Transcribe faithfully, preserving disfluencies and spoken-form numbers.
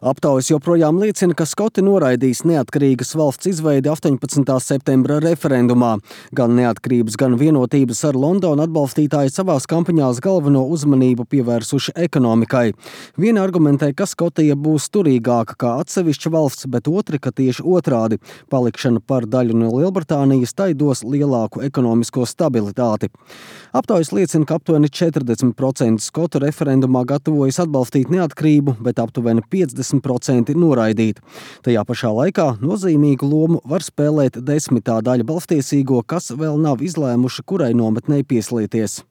Aptaujas joprojām liecina, ka skoti noraidīs neatkarīgas valsts izveidi astoņpadsmitā septembra referendumā. Gan neatkarības, gan vienotības ar Londonu atbalstītāji savās kampaņās galveno uzmanību pievērsuši ekonomikai. Vieni argumentē, ka Skotija būs turīgāka kā atsevišķa valsts, bet otri, ka tieši otrādi. Palikšana par daļu no Lielbritānijas tai dos lielāku ekonomisko stabilitāti. Aptaujas liecina, ka aptuveni četrdesmit procenti skotu referendumā gatavojas atbalstīt neatkarību, bet aptuveni piecdesmit procenti noraidīt. Tajā pašā laikā nozīmīgu lomu var spēlēt desmitā daļa balstiesīgo, kas vēl nav izlēmuši, kurai nometnei pieslieties.